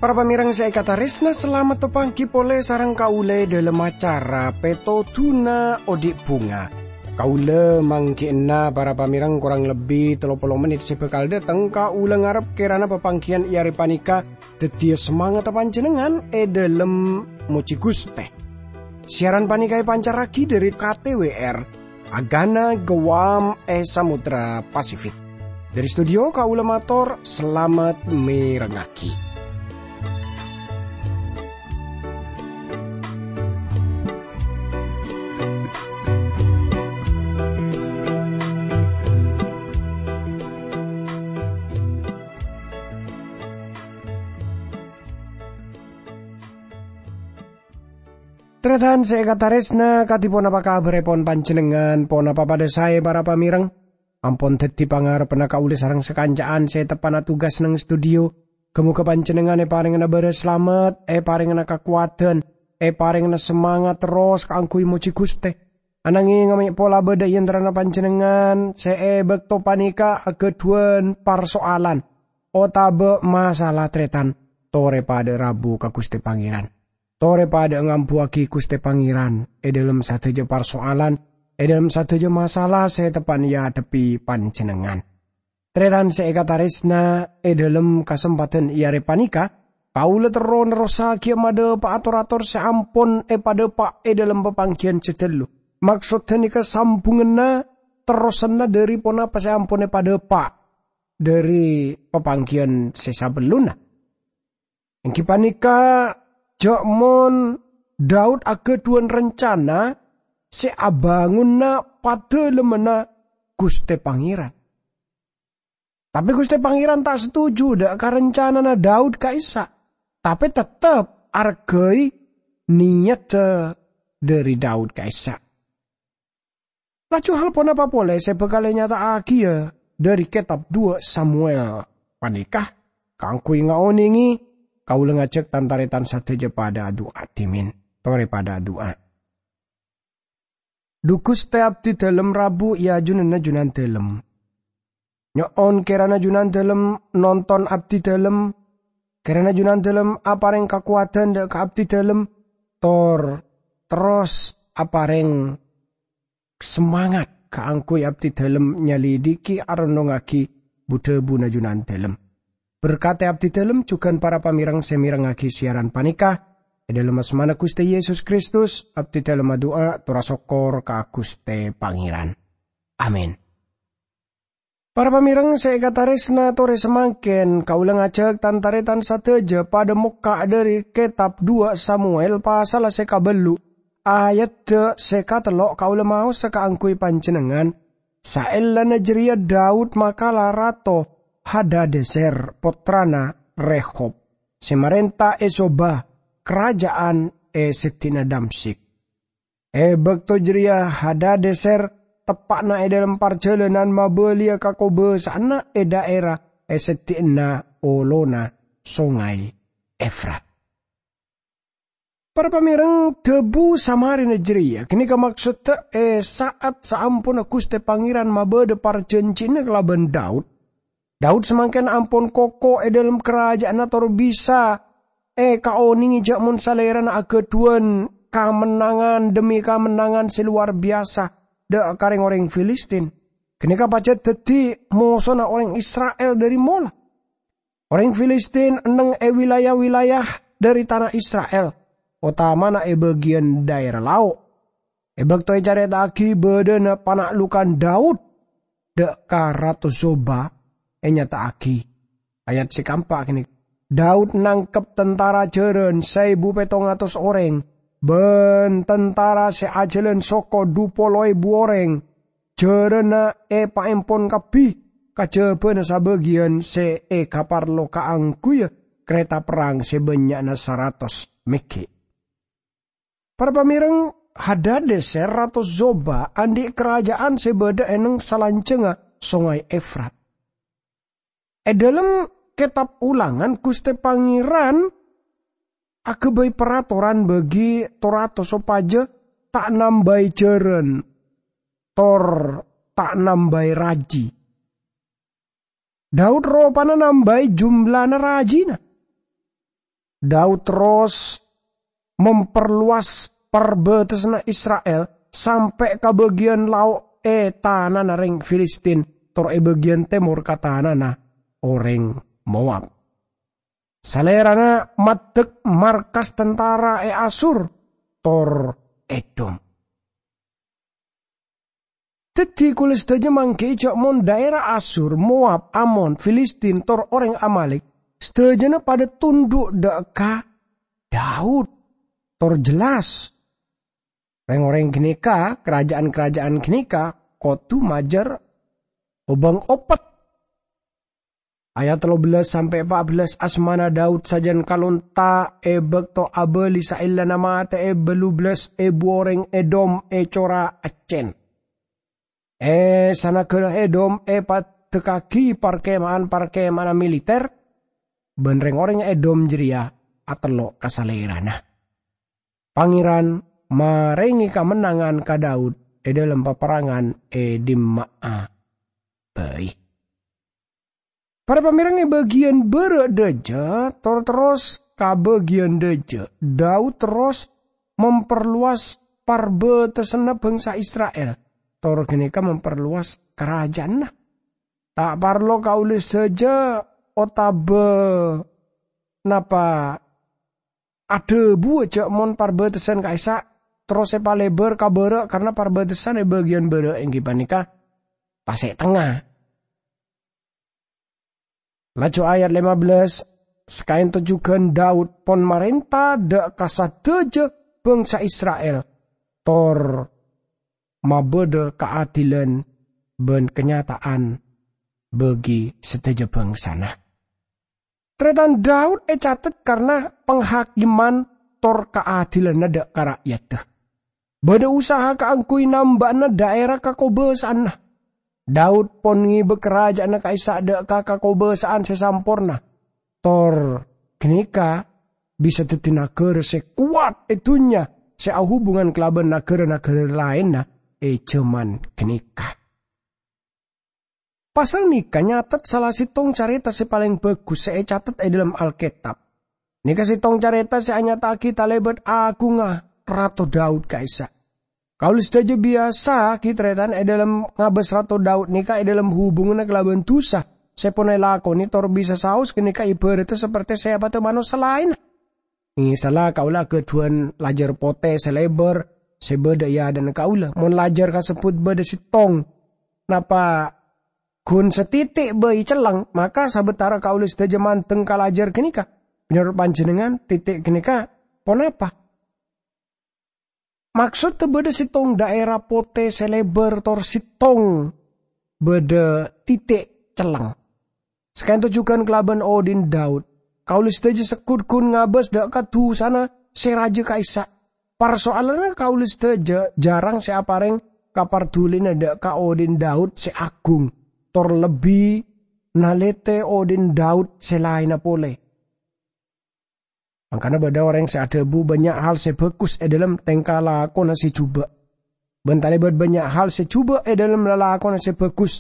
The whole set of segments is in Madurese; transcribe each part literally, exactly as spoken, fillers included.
Para pamèrèng sè èkatarèsna, salamet papangghi polè sareng kaulâ è dhâlem acara Pètodhuna Odi' Bhunga. Kaulâ mangghi'na para pamèrèng korang lebbi tello polo mennit sè bhâkal dâteng. Kaulâ ngarep kèrana papangghiyân è arè panèka dhâddhiyâ samangatta panjhennengngan è dhâlem mojhi Ghustè. Siaran panèka èpancarraghi dhâri K T W R, Agana Guam è Samudra Pasifik. Dhâri studio, kaulâ mator salamet mèrengngaghi. Tarètan sè èkatarèsna, kadhi ponapa kabhârèpon panjhennengngan? Ponapa padhâ saè, para pamèrèng? Ampon dhâddhi pangarebbhâ kaulâ sareng sakanca'an sè teppa'na tugas neng studio. Ghâ-moghâ panjhennengngan èparèngana bârâs salamet, èparèngana kakowadhân, èparèngana samangat terros kaangghuy mojhi Ghustè. Ananghèng mè' pola bâdâ è antarana panjhennengngan sè è bâkto panèka aghâdhuwân parsoalan otabâ masalah, tarètan, torè padâ rabu ka Ghustè Pangèran. Torè padâ ngambuwâghi Ghustè Pangèran è dhâlem sadhâjâ parsoalan, è dhâlem sadhâjâ masalah sè teppa'na èadhebbhi panjhennengngan. Tarètan sè èkatarèsna, è dhâlem kasempadhân è arè panèka, kaulâ terro nerrossaghiyâ madhâpa'a tor-ator sè ampon èpadhâpa' è dhâlem papangghiyân sè ghâllu. Maksod ghânèka sambunganna, terrosanna dhâri ponapa sè ampon èpadhâpa' dhâri papangghiyân sè sabellunna. Èngghi panèka, jhâ' mon Daud aghâdhuwân rencana sè abângonana padâlemmanna Ghustè Pangèran. Tapè Ghustè Pangèran ta' setuju dâ' ka rencanana Daud ka'issa', tapè tettep arghâi niyadda dhâri Daud ka'issa'. Laju hal ponapa polè sè bhâkal ènyata'aghiyâ dhâri kètab duwâ' Samuel panèka? Kaangghuy ngaonèngè, kaulâ ngajhâk tan-tarètan sadhâjâ padâ adu'a dhimèn. Torè padâ adu'a. Dhu Ghustè, abdhidhâlem rabu è ajunanna Junandhâlem. Nyo'on kèrana Junandhâlem nonton abdhidhâlem, kèrana Junandhâlem aparèng kakowadhân dâ' ka abdhidhâlem, tor terros aparèng samangat kaangghuy abdhidhâlem nyalidiki arennongngaghi bu-dhâbuna Junandhâlem. Berkadhi abdhidhâlem jhughân para pamèrèng sè mèrengngaghi siaran panèka. È dhâlem asmana Ghustè Yesus Kristus, abdhidhâlem adu'a tor asokkor ka Ghustè Pangèran. Amin. Para pamèrèng sè èkatarèsna, torè samangkèn kaulâ ngajhâk tan-tarètan sadhâjâ padâ mokka' dhâri kètab duwâ' Samuel pasalla sè kabâllu', ayadda sè katello' kaulâ maosa kaangghuy panjhennengngan. Saellana jârèya Daud makala Rato Hadadeser, pottrana Rehob, sè marènta è Soba, karaja'an è seddi'na Damsyik. È bâkto jârèya Hadadeser teppa'na è dhâlem parjhâlânan mabâliyâ ka kobâsa'anna è dhaèra è seddi'na olona Songay Efrat. Para pamèrèng, dhâbu samarèna jârèya ghânèka maksodda è sa'at saamponna Ghustè Pangèran mabâdâ parjhânjhiyânna kalabân Daud. Daud samangkèn ampon koko è dhâlem karaja'anna tor bisa èkaonèngè jhâ' mon salèrana aghâdhuwân kamennangan dhemmi kamennangan sè lowar biyasa dâ' ka rèng-orèng Filistin. Ghânèka pajhât dhâddhi mosona orèng Isra'il dhâri mola. Orèng Filistin enneng è wilayah-wilayah dhâri tana Isra'il, otamana è bâgiyân dhaèra lao'. È bâkto ècarèta'aghi bâdâna pana'lokan Daud dâ' ka Rato Zoba, ènyata'aghi, ayat sè kaempa' ghânèka, Daud nangkep tantara jhârân saèbu pèttong atos orèng, bân tantara sè ajhâlân soko dhu polo èbu orèng. Jhârânna èpaèmpon kabbhi, kajhâbhâna sabâgiyân sè èkaparlo kaangghuyyâ karèta perrang sè bânnya'na saratos mèghi'. Para pamèrèng, Hadadeser rato Zoba andi' karaja'an sè bâdâ è neng salanjhângnga Songay Efrat. È dhâlem Kètab Ulangan, Ghustè Pangèran aghâbây paratoran bâgi to-rato sopajâ ta' nambâi jhârân, tor ta' nambâi rajhi. Daud ropana nambâi jumlana rajhina. Daud terros memperluas parbâtessanna Isra'il sampè' ka bâgiyân lao' è tanana rèng Filistin, tor è bâgiyân tèmor ka tanana orèng Moab. Salèrana maddhek markas tentara è Asur tor Edom. Dhâddhi, kaulâ sadhâjâ mangghi'i jhâ' mon dhaèra Asur, Moab, Amon, Filistin, tor orèng Amalek, sadhâjâna padâ tondhu' dhâ' ka Daud, tor jelas. Rèng-orèng ghânèka, karaja'an-karaja'an ghânèka kodhu majâr obâng opet. Ayat tello bellâs sampè' pa' bellâs, asmana Daud sajân kalonta' è bâkto abâli saellana matè'è bâllu bellâs èbu orèng Edom è cora' accèn. È sanaghârâ Edom èpaddhâkkaghi parkema'an-parkema'anna militer, bân rèng-orèng Edom jârèya atello' ka salèrana. Pangèran marèngè kamennangan ka Daud è dhâlem paparangan è dimma'a bhâi. Para pamèreng, è bâgiyân bârâ' dhâjâ, tor terros ka bâgiyân dhâjâ, Daud terros memperluas parbâtessanna bhângsa Isra'il, tor ghânèka memperluas karaja'anna. Ta' parlo kaulâ sadhâjâ otabâ napa adhâbuwâ jhâ' mon parbâtessan ka'issa' terros èpalebâr ka bârâ', karna parbâtessan è bâgiyân bârâ' èngghi panèka tasè' tengnga. Laju ayat lèma bellâs, "Sakaènto jhughân Daud pon marènta dhâ' ka sadhâjâ bhângsa Isra'il, tor mabâdâ kaadilan bân kanyata'an bâgi sadhâjâ bhângsana." Tarètan Daud ècatet karna panghakiman tor kaadilanna dhâ' ka ra'yadda. Bâdâ usaha kaangghuy namba'ana dhaèra kakobâsa'anna. Daud pon ngèbâ karaja'anna ka'issa' dhâ' ka kakobâsa'an sè samporna. Tor ghânèka bisa dhâddhi naghârâ sè kowat è dhunnya sè ahubungan kalabân naghârâ-naghârâ laènna è jhâman ghânèka. Pasal nèka nyatet sala sèttong carèta sè palèng bhâghus sè ècatet è dhâlem Alkètab. Nèka sèttong carèta sè anyata'aghi talèbât aghungnga Rato Daud ka'issa'. Kaulâ sadhâjâ biyasa ghi tarètan è dhâlem ngabâs Rato Daud nèka è dhâlem hubunganna kalabân dusa sè pon èlakonè tor bisa saos ghânèka èbhârâddhâ sapertè sèpaddhâ manossa laènna. Misalla kaulâ aghâdhuwân lajâr potè sè lèbâr sè bâdâ è adâ'na kaulâ. Mon lajâr kasebbhut bâdâ sèttong, napa ghun satiti' bhâi celleng, maka sabâtara kaulâ sadhâjâ mandeng ka lajâr ghânèka. Mènorot panjhennengngan, titi' ghânèka ponapa? Maksodda bâdâ sèttong dhaèra potè sè lèbâr tor sèttong bâdâ titi' celleng. Sakaènto jhughân kalabân odhi'na Daud, kaulâ sadhâjâ segghut ghun ngabâs dhâ' ka dusana sè rajâ ka'issa'. Parsoalanna kaulâ sadhâjâ jhârâng sè aparèng kapardhulina dhâ' ka odhi'na Daud sè aghung, tor lebbi nalètè odhi'na Daud sè laènna polè. Mangkana bâdâ orèng sè adhâbu bânnya' hal sè bhâghus è dhâlem tèngka lakona sè jhubâ'. Bân talèbât bânnya' hal sè jhubâ' è dhâlem lalakonna sè bhâghus.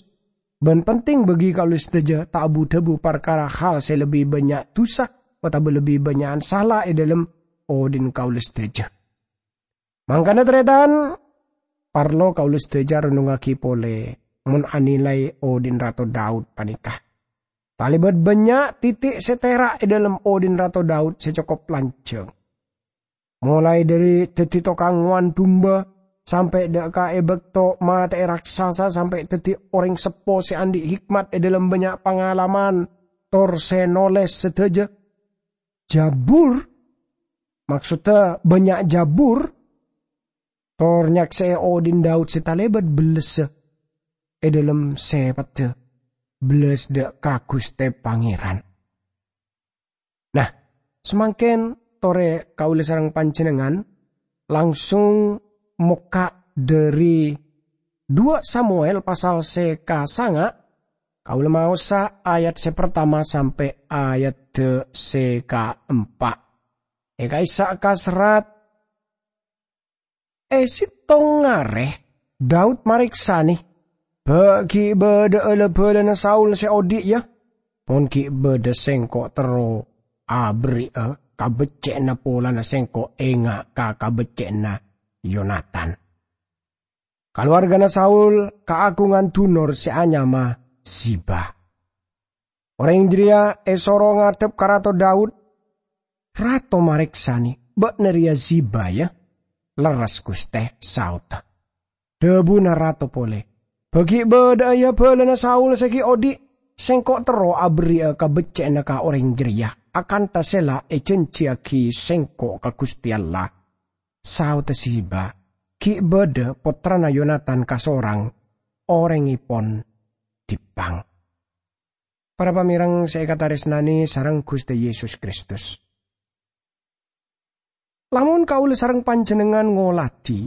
Bân penting bâgi kaulâ sadhâjâ ta' abu-dhâbu parkara hal sè lebbi bânnya' dusa otabâ lebbi bânnya'an sala è dhâlem odhi'na kaulâ sadhâjâ. Mangkana tarètan, parlo kaulâ sadhâjâ rennongngaghi polè mon anilai odhi'na Rato Daud panèka. Talèbât bânnya' titi' sè tèra' è dhâlem odhi'na Rato Daud sè cokop lanjhâng. Molaè dhâri dhâddhi tokang ngowan dumba, sampè' dhâ' ka è bâkto matè'è raksasa, sampè' dhâddhi orèng seppo sè andi' hikmat è dhâlem bânnya' pangalaman, tor sè nolès sadhâjâ Jabur, maksodda bânnya' Jabur, tor nyaksè'è odhi'na Daud sè talèbât bellessa è dhâlem sèpaddhâ bellas dhâ' ka Ghustè Pangèran. Nah, samangkèn torè kaulâ sareng panjhennengngan langsung mokka' dhâri Dua Samuel pasal sè kasanga', kaulâ maosa ayat sè partama sampè' ayat sè kaempa'. È ka'issa' kaserrat, "È sèttong arè Daud marèksanè, 'Bâ' ghi' bâdâ'â la-bhâlâna Saul sè odi', yâ? Mon ghi' bâdâ, sèngko' terro aberri'â kabhecce'na polana sèngko' enga' ka kabhecce'na Yonatan.'" Kalowargana Saul kaagungan dunor sè anyama Ziba. Orèng jârèya èsoro ngadhep ka Rato Daud. "Rato marèksanè, bâ'na rèya Ziba, yâ?" "Lerres, Ghustè," saodhâ. Dhâbuna Rato polè, "Bâ' ghi' bâdâ'â, yâ, bhâlâna Saul sè ghi' odi'. Sèngko' terro aberri'â kabhecce'na ka orèng jârèya, akantha sè la èjhânjhiyaghi sèngko' ka Ghustè Allah." Saodhâ Ziba, "Ghi' bâdâ pottrana Yonatan kasorang, orèngèpon dippang." Para pamèreng sè èkatarèsnanè sareng Ghustè Yesus Kristus. Lamon kaulâ sareng panjhennengngan ngolatè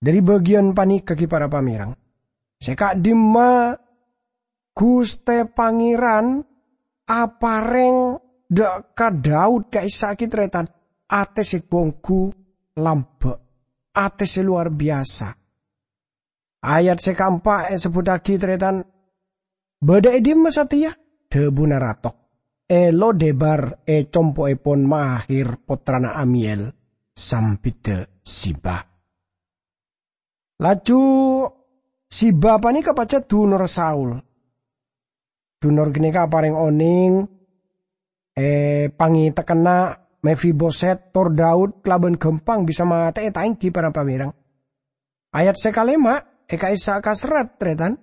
dhâri bâgiyân panèka, ghi, para pamèreng, sè ka'dimma Ghustè Pangèran aparèng dâ' ka Daud ka'issa' ghi, tarètan, atè sè bhunggu lambâ', atè sè lowar biyasa. Ayat sè kaempa' èsebbhuttaghi, tarètan, "Bâdâ è dimma satèya?" dhâbuna Rato. "È Lodebar, è compo'èpon Mahir, pottrana Amiyel, sambiddhâ Ziba." Laju Ziba panèka pajhât dunorra Saul. Dunor ghânèka aparèng onèng, è, pangètekkenna Mefiboset tor Daud kalabân ghâmpang bisa matè'è ta' èngghi, para pamèreng. Ayat sè kalèma' è ka'issa' kaserrat, tarètan,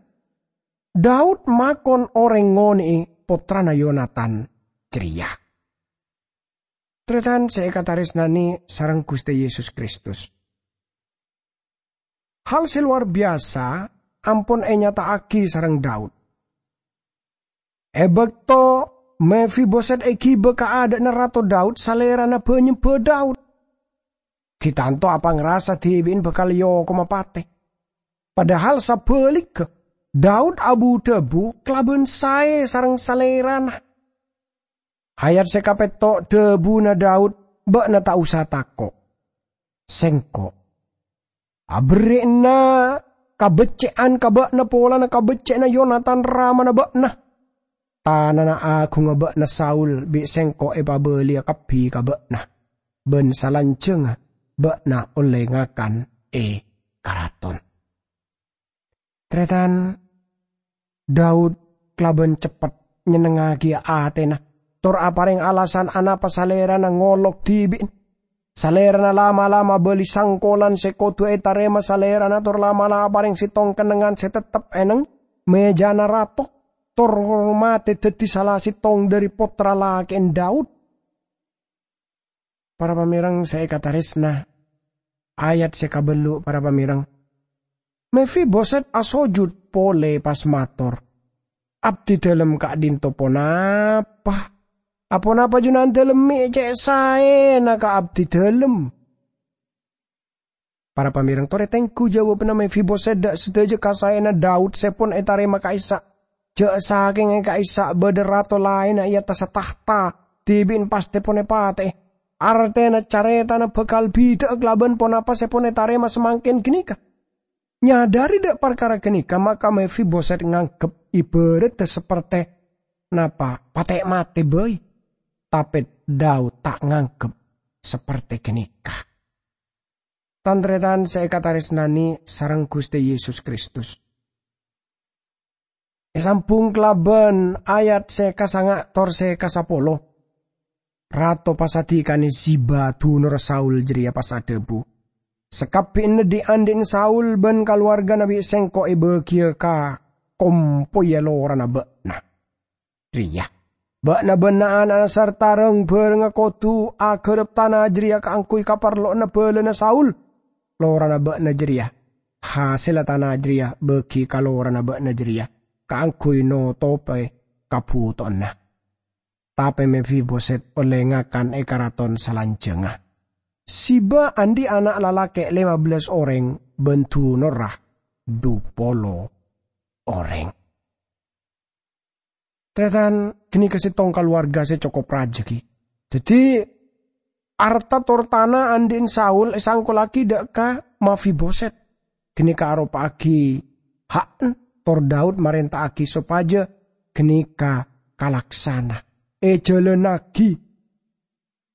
"Daud makon orèng ngonè'è pottrana Yonatan jârèya." Tarètan sè èkatarèsnanè sareng Ghustè Yesus Kristus. Hal sè lowar biyasa ampon ènyata'aghi sareng Daud. È bâkto Mefiboset èghibâ ka adâ'na Rato Daud, salèrana bâ-nyembâ Daud. Ghi tanto apangrasa dhibi'na bhâkal èokoma patè. Padahal sabhâligghâ, Daud abu-dhâbu kalabân saè sareng salèrana. Ayat sè kapètto' dhâbuna Daud, "Bâ'na ta' osa tako'. Sèngko' aberri'ana kabhecce'an ka bâ'na polana kabhecce'anna Yonatan ramana bâ'na. Tanana aghungnga bâ'na Saul bi' sèngko' èpabâliyâ kabbhi ka bâ'na, bân salanjhângnga bâ'na ollè ngakan è karaton." Tarètan, Daud kalabân ceppet nyennengngaghi atèna, tor aparèng alasan anapa salèrana ngolok dhibi'na. Salèrana la'-mala' mabâli sangkolan sè kodhu ètarèma salèrana, tor la'-mala' aparèng sèttong kennengngan sè tettep è neng mèjana rato, tor matè dhâddhi sala sèttong dhâri pottra lakè'na Daud. Para pamèreng sè èkatarèsna, ayat sè kabâllu', para pamèreng. Mefiboset asojud polè pas mator, "Abdidâlem ka'dinto ponapa? Aponapa Junandâlem mè' cè' saèna ka abdidâlem?" Para pamèreng, torè tengghu jawabanna Mefiboset dâ' sadhâjâ ka saèna Daud sè pon ètarèma ka'issa'. Jâ' sakènga ka'issa' bâdâ rato laènna è attassa tahta, dhibi'na pastè pon èpatè'è. Artèna carètana bhâkal bhidhâ'â kalabân ponapa sè pon ètarèma samangkèn ghânèka. Nyadhâri dâ' parkara ghânèka, maka Mefiboset nganggep ibârâddhâ sapertè napa patè' matè bhâi. Tapè Daud ta' nganggep sapertè ghânèka. Tan-tarètan sè èkatarèsnanè sareng Ghustè Yesus Kristus. Èsambhung kalabân ayat sè kasanga' tor sè kasapolo. Rato pasadhikanè Ziba dunorra Saul jârèya pas adhâbu, "Sakabbhiyanna dhi'-andhi'na Saul bân kalowarghâna bi' sèngko' èbâghiyâ ka kompoyya lorana bâ'na rèya. Bâ'na bân na'-ana'na sarta rang-bhârângnga kodhu aghârâp tana jârèya kaangghuy kaparlowanna bhâlâna Saul, lorana bâ'na jârèya. Hasèlla tana jârèya bâgi ka lorana bâ'na jârèya kaangghuy notobhi kabhutowanna." Tapè Mefiboset ollè ngakan è karaton salanjhângnga. Ziba andi' ana' lalakè' lèma bellâs orèng bân dunorra dhu polo orèng. Tarètan, ghânèka sèttong kalowarga sè cokop rajâ, ghi. Dhâddhi, Arta tor tana andhi'na Saul èsangkollaghi dha' ka Mefiboset. Ghânèka aropa'aghi ha'na, tor Daud marènta'aghi sopajâ ghânèka kalaksana, èjhâlânnaghi.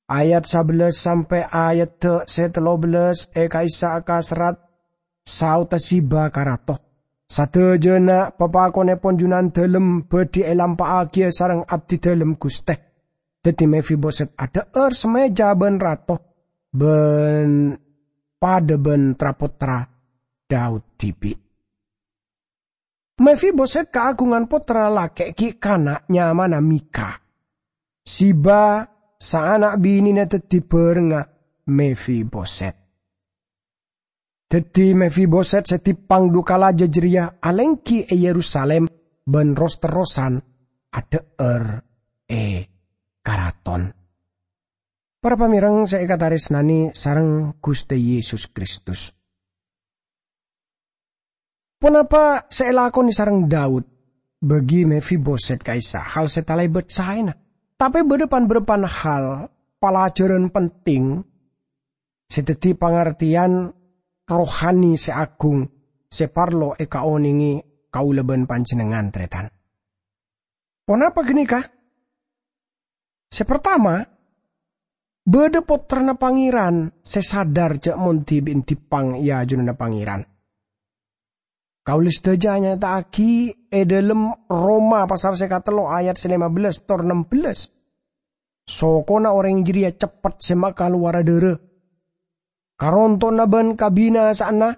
Ayat sabellâs sampè' ayadda sè tello bellâs è ka'issa' kaserrat saodda Ziba ka rato, "Sadhâjâna papakonèpon Junandalem bhâdhi èlampa'aghiyâ sareng abdidalem, Ghustè." Dhâddhi Mefiboset adhâ'âr samèja bân rato, bân padâ bân tra-pottra Daud dhibi'. Mefiboset kaagungan pottra lakè' ghi' kana' nyamana Mika. Ziba, saana' binèna dhâddhi bhârengnga Mefiboset. Dhâddhi Mefiboset sè timpang dhu kalaja jârèya alèngghi è Yerusalim bân ros-terrosan adhâ'âr è karaton. Para pamèreng sè èkatarèsnanè sareng Ghustè Yesus Kristus. Ponapa sè èlakonè sareng Daud? Bâgi Mefiboset ka'issa' hal sè talèbât saèna. Tapè bâdâ pan-bârâmpan hal palajhârân penting sè dhâddhi pangartèyan rohani sè agung sè parlo èkaonèngè kaulâ bân panjhennengngan, tarètan. Ponapa ghânèka? Sè partama, bâdâ pottrana Pangèran sè sadar jâ' mon dhibi'na timpang è ajunanna Pangèran. Kaulâ sadhâjâ anyata'aghi è dhâlem Roma pasal sè katello ayat sè lèma bellâs tor nem bellâs. Sokona orèng jârèya ceppet sè makalowara dârâ. Karonto'na bân kabinasa'anna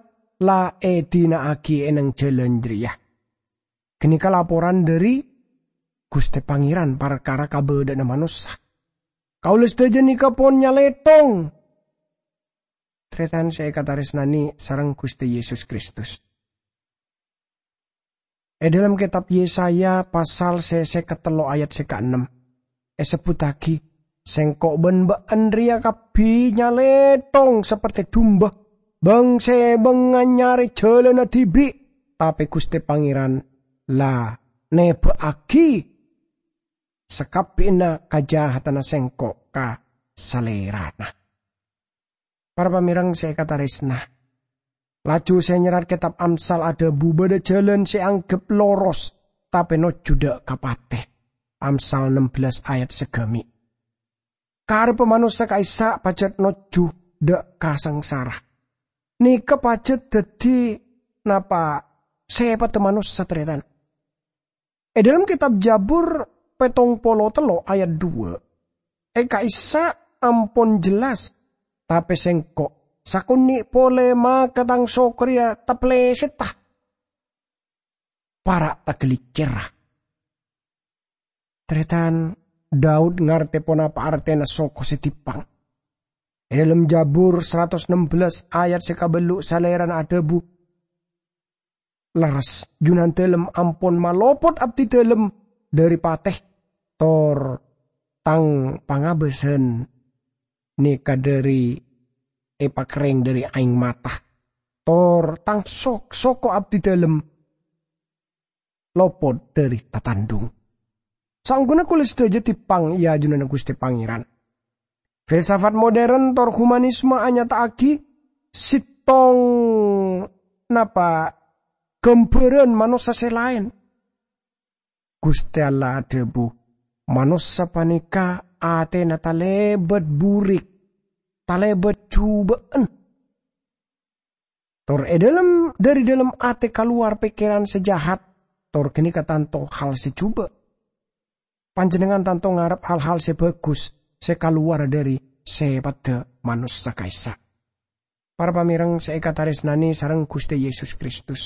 la èdina'aghi è neng jhâlân jârèya. Ghânèka laporan dhâri Ghustè Pangèran parkara kabâdâ'ânna manossa. Kaulâ sadhâjâ nèka pon nyalèthong, tarètan sè èkatarèsnanè sareng Ghustè Yesus Kristus. È dhâlem kètab Yesaya pasal sè sèket tello ayat sè kaennem, èsebbhuttaghi, "Sèngko' bân bâ'na rèya kabbhi nyalèthong saperte dumba, bâng-sèbângnga nyarè jhâlânna dhibi', tapè Ghustè Pangèran la nèbâ'aghi sakabbhiyanna kajahatanna sèngko' ka Salèrana." Para pamèreng sè èkatarèsna, laju sè nyerrat kètab Amsal adhâbu bâdâ jhâlân sè anggep loros, tapè nojjhu dâ' ka patè. Amsal nem bellâs ayat saghâmè'. Kareppa manossa ka'issa' pajhât nojjhu dâ' ka sangsara. Nèka pajhât dhâddhi napa sèpatta manossa, tarètan? È dhâlem kètab Jabur pèttong polo tello ayat dua, è ka'issa' ampon jelas, tapè sèngko' sakonè' polè maka tang soko rèya taplèsetta, para' taghâliccèra. Tarètan, Daud ngartè ponapa artèna soko sè timpang. È dhâlem Jabur saratos nem bellâs ayat sè kabâllu', Salèrana adhâbu, "Lerres, Junandalem ampon malopot abdidalem dhâri patè, tor tang pangabâsan nèka dhâri èpakerrèng dhâri aèng mata, tor tang sok-, soko abdidalem lopot dhâri tatandhung. Saongghuna kaulâ sadhâjâ timpang è ajunanna Ghustè Pangèran." Filsafat modern tor humanisme anyata'aghi sèttong napa ghâmbhârân manossa sè laèn. Ghustè Allah adhâbu, "Manossa panèka atèna talèbât burik, talèbât jhubâ'ân. Tor è dhâlem, dhâri dhâlem atè kalowar pèkkèran sè jahat, tor ghânèka tanto hal sè jhubâ'." Panjhennengngan tanto ngarep hal-hal sè bhâghus sè kalowar dhâri sèpatta manossa ka'issa'. Para pamèreng sè èkatarèsnanè sareng Ghustè Yesus Kristus.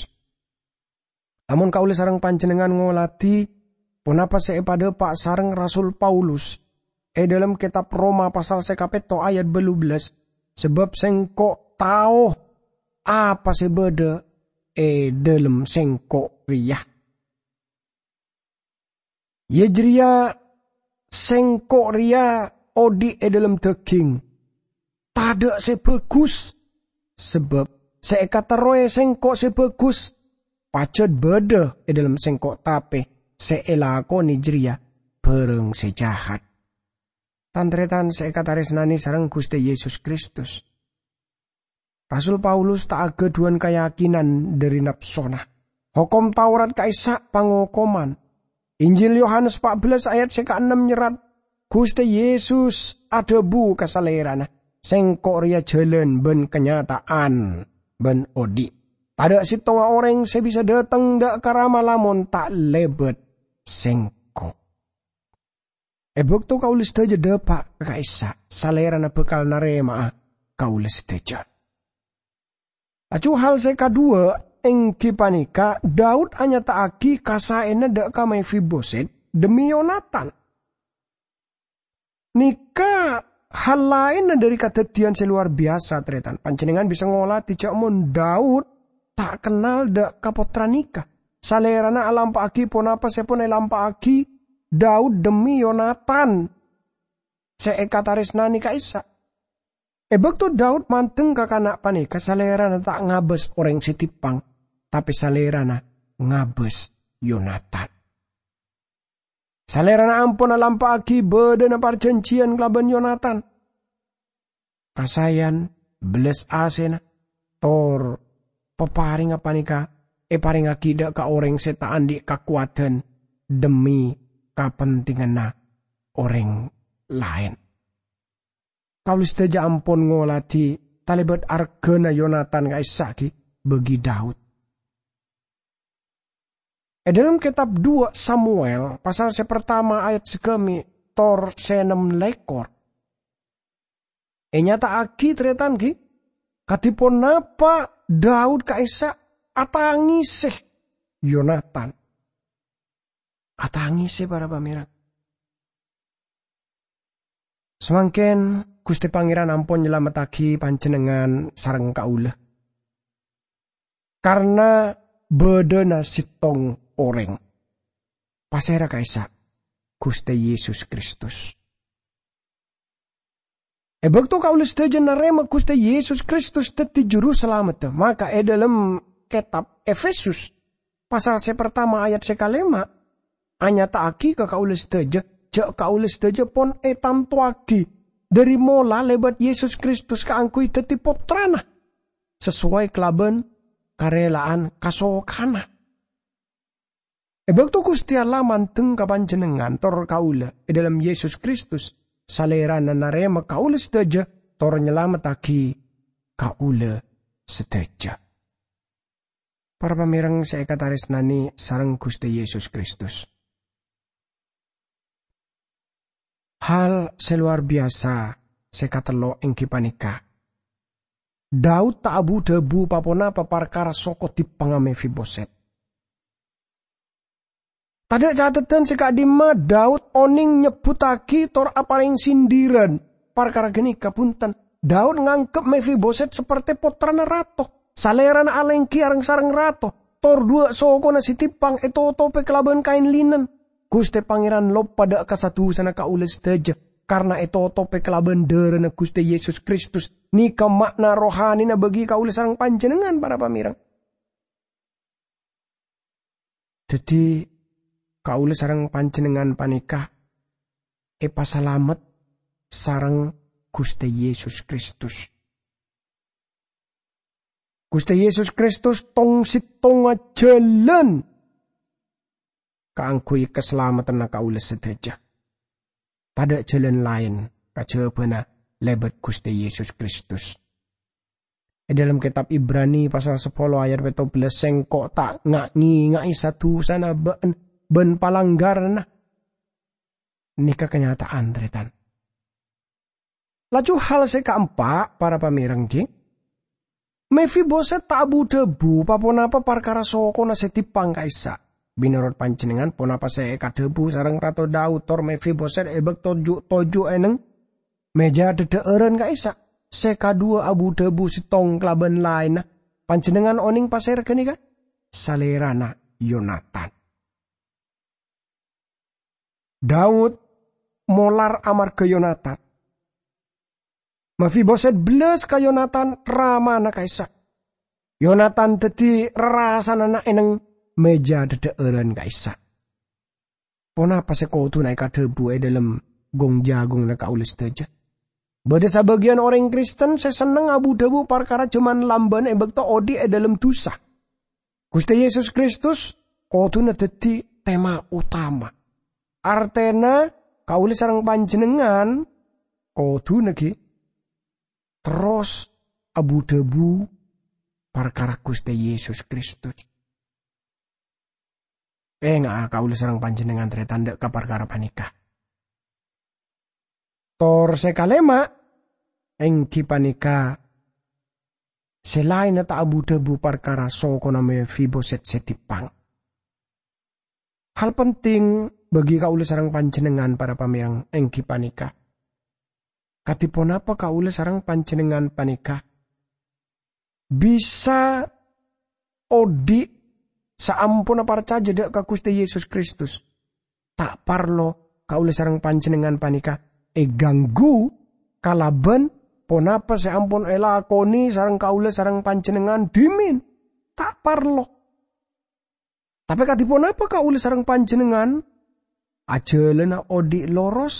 Lamon kaulâ sareng panjhennengngan ngolatè ponapa sè èpadhâpa' sareng Rasul Paulus è dhâlem kètab Roma pasal sè kapètto ayat bâllu bellâs, "Sabâb sèngko' tao apa sè bâdâ è dhâlem sèngko' rèya. Iyâ jârèya sèngko' rèya odi' è dhâlem dhâghing, tadhâ' sè bhâghus. Sabâb sè èkaterrowè sèngko' sè bhâghus, pajhât bâdâ è dhâlem sèngko', tapè sè èlakonè jârèya bhârâng sè jahat." Tan-taretan sè èkatarèsnanè sareng Ghustè Yesus Kristus, Rasul Paulus ta' aghâdhuwân kayakinan dhâri napsona. Hokom Taurat ka'issa' pangokoman. Injil Yohanes pa' bellâs ayat sè kaennem nyerrat, Ghustè Yesus adhâbu ka Salèrana, "Sengko' rèya jhâlân bân kanyata'an bân odi'. Tadâ' sèttonga orèng sè bisa dâteng dâ' ka Rama lamon ta' lèbât Sengko'." È bâkto kaulâ sadhâjâ dâpa' ka ka'issa', Salèrana bhâkal narèma'a kaulâ sadhâjâ. Laju hal sè kaduwâ' èngghi panèka Daud anyata'aghi kasaèna dâ' ka Mefiboset dhemmi Yonatan. Nèka hal laènna dhâri kadhâddhiyân sè lowar biyasa, tarètan. Panjhennengngan bisa ngolatè jhâ' mon Daud ta' kennal dâ' ka pottra nèka. Salèrana alampa'aghi ponapa sè pon èlampa'aghi Daud dhemmi Yonatan sè èkatarèsnanè ka'issa'. È bâkto Daud mandeng ka kana' panèka, Salèrana ta' ngabâs orèng sè timpang, tapè Salèrana ngabâs Yonatan. Salèrana ampon alampa'aghi bâdâna parjhânjhiyân kalabân Yonatan. Kasaèyan bellâs asèna tor paparèngnga panèka èparèngaghi dâ' ka orèng sè ta' andi' kakowadhân dhemmi kapentinganna orèng laèn. Kaulâ sadhâjâ ampon ngolatè talèbât arghâna Yonatan ka'issa' ghi' bagi Daud. È dâlem kètab Duwâ' Samuel, pasal sè partama ayat sagâmè' tor sè ennem lèkor, ènyata'aghi, tarètan, ghi' kadhi ponapa Daud ka'issa' atangèsè Yonatan. Atangèsè, para pamèreng. Samangkèn Ghustè Pangèran ampon nyalamettaghi panjhennengngan sareng kaulâ. Karna bâdâna sèttong orèng. Pasèra ka'issa'? Ghustè Yesus Kristus. È bâkto kaulâ sadhâjâ narèma Ghustè Yesus Kristus dhâddhi Juru Salamedda, maka è dâlem kètab Efesus, pasal sè partama ayat sè kalèma', anyata'aghi ka kaulâ sadhâjâ jhâ' kaulâ sadhâjâ pon ètantowaghi dhâri mola lèbât Yesus Kristus kaangghuy dhâddhi pottrana, sasoway kalabân karèla'an kasokanna. È bâkto Ghustè Allah mandeng ka panjhennengngan tor kaulâ è dâlem Yesus Kristus, Salèrana narèma kaulâ sadhâjâ tor nyalamettaghi kaulâ sadhâjâ. Para pamèreng sè èkatarèsnanè sareng Ghustè Yesus Kristus. Hal sè lowar biyasa sè katello' èngghi panèka, Daud ta' abu-dhâbu pa-ponapa parkara soko dimpangnga Mefiboset. Tadâ' cateddhân sè ka'dimma Daud onèng nyebbhuttaghi tor aparèng sindiran parkara ghânèka, bhunten. Daud nganggep Mefiboset saperte pottrana rato. Salèrana alèngghi areng-sareng rato, tor dhuwâ' sokona sè dimpang ètotobhi kalabân kaèn linen. Ghustè Pangèran loppa dâ' ka sa-dusana kaulâ sadhâjâ, karna ètotobhi kalabân dârâna Ghustè Yesus Kristus. Nèka ma'na rohanina bagi kaulâ sareng panjhennengngan, para pamèreng. Dhâddhi, kaulâ sareng panjhennengngan panèka èpasalamet sareng Ghustè Yesus Kristus. Ghustè Yesus Kristus tong-sèttonga jhâlân kaangghuy kasalameddhânna kaulâ sadhâjâ. Tadâ' jhâlân laèn kajhâbhâna lèbât Ghustè Yesus Kristus. È dâlem kètab Ibrani pasal sapolo ayat pètto bellâs, "Sèngko' ta' nga'-ngènga'è sa-dusana bâ'na bân palanggaranna." Nèka kanyata'an, tarètan. Laju hal sè kaempa', para pamèreng, ghi. Mefiboset ta' abu-dhâbu pa-ponapa parkara sokona sè dimpang ka'issa'. Mènorot panjhennengngan, ponapa sè èkadhâbu sareng Rato Daud tor Mefiboset è bâkto ju'-toju' è neng mèja dhâdhâ'ârân ka'issa'? Sè kaduwâ abu-dhâbu sèttong kalabân laènna. Panjhennengngan onèng pasèra ghânèka? Salèrana Yonatan. Daud molar amarghâ Yonatan. Mefiboset bellâs ka Yonatan, ramana ka'issa'. Yonatan dhâddhi rarasananna è neng mèja dhâdhâ'ârân ka'issa'. Ponapa sè kodhuna èkadhâbu è dâlem gung-jagungnga kaulâ sadhâjâ. Bâdâ sabâgiyân orèng Kristen sè senneng abu-dhâbu parkara jhâman lambâna è bâkto odi' è dhâlem dhusa. Ghustè Yesus Kristus kodhuna dhâddhi tema otama. Artèna, kaulâ sareng panjhennengngan kodhuna ghi' terros abu-dhâbu parkara Ghustè Yesus Kristus. Enga'a kaulâ sareng panjhennengngan tarètan dâ' ka parkara panèka. Tor sè kalèma', èngghi panèka sè laènna ta' abu-dhâbu parkara sokona Mefiboset sè dippang. Hal penting bagi kaulâ sareng panjhennengngan, para pamèreng, èngghi panèka, kadhi ponapa kaulâ sareng panjhennengngan panèka bisa odi' saamponna parcajâ dâ' ka Ghustè Yesus Kristus? Ta' parlo kaulâ sareng panjhennengngan panèka èganggu kalabân ponapa sè ampon èlakonè sareng kaulâ sareng panjhennengngan dhimèn. Ta' parlo. Tapè kadhi ponapa kaulâ sareng panjhennengngan ajhâlâna odi' loros,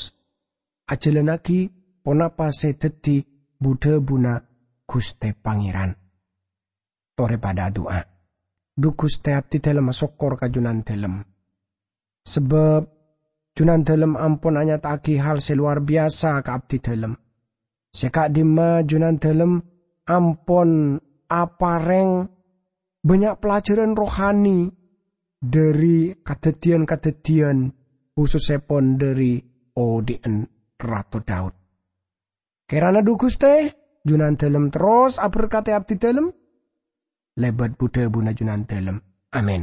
ajhâlânnaghi ponapa sè dhâddhi bu-dhâbuna Ghustè Pangèran. Torè padâ adu'a. Dhu Ghustè, abdhidhâlem asokkor ka Jhunandhâlem. Sabâb Jhunandhâlem ampon anyata'aghi hal sè lowar biyasa ka abdhidhâlem. Sè ka'dimma Jhunandhâlem ampon aparèng bânnya' pelajaran rohani dhâri kadhâddhiyân-kadhâddhiyân, khusussèpon dhâri odi'na Rato Daud. Kèrana dhu Ghustè, Jhunandhâlem terros aberkadhi abdhidhâlem, lèbât bu-dhâbuna Jhunandhâlem. Amin.